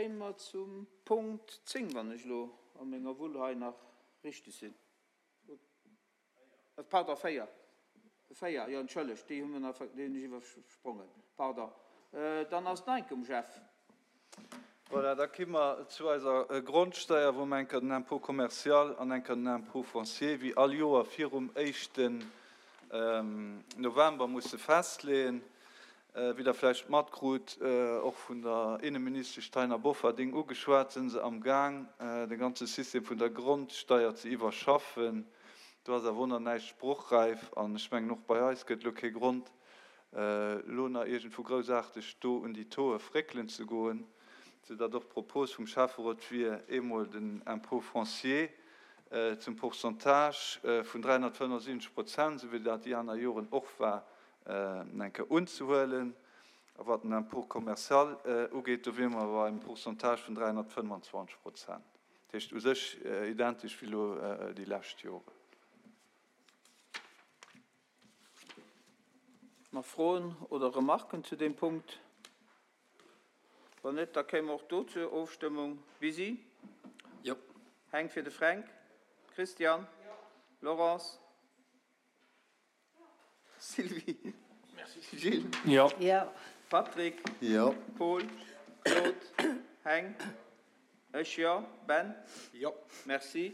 Kéime mer zum Punkt 10, wann ech elo a menger Wull hei nach richtig sinn. Pardon, 4. 4, jo, entschëllegt, déi hu mer nach, déi hunn ech iwwersprongen. Pardon. Dann ass et nach eng Kéier um Jeff. Voilà, da ki mer zu eiser Grondsteuer, wou mer eng Kéier den Impôt commercial an eng Kéier den Impôt foncier wéi all Joer virum éischten November musse festleeën. Wéi Der vläicht matkrut, och vun der Inneministesch Taina Bofferding ugeschwat, si se amgaang, de ganze System vun der Grondsteier ze iwwerschaffen. Do ass awer och nach näischt sprochräif an ech mengen, och bei eis gëtt elo kee Grond, elo nach iergendwou groussaarteg do un déi Tauxe fréckelen ze goen, soudatt och d'Propos vum Schäfferot wier, eemol den Impôt foncier zum Pourcentage vun 375 Prozent, esou wéi dat déi aner Joren och war, eng Kéier unzehuelen. A wat den Impôt commercial ugeet, do wiere mer bei engem Pourcentage vun 325 Prozent. Dat heescht u sech identesch wéi elo déi lescht Joren. Nach Froen oder Remarken zu deem Punkt? Wann net, da kéime mer och do zur Ofstëmmung. Bisi? Jo. Heng fir de Fränk? Christian? Jo. Laurence? Sylvie. Gilles. Jo. Patrick. Jo. Paul. Claude. Heng. Ech jo. Ben. Jo. Merci.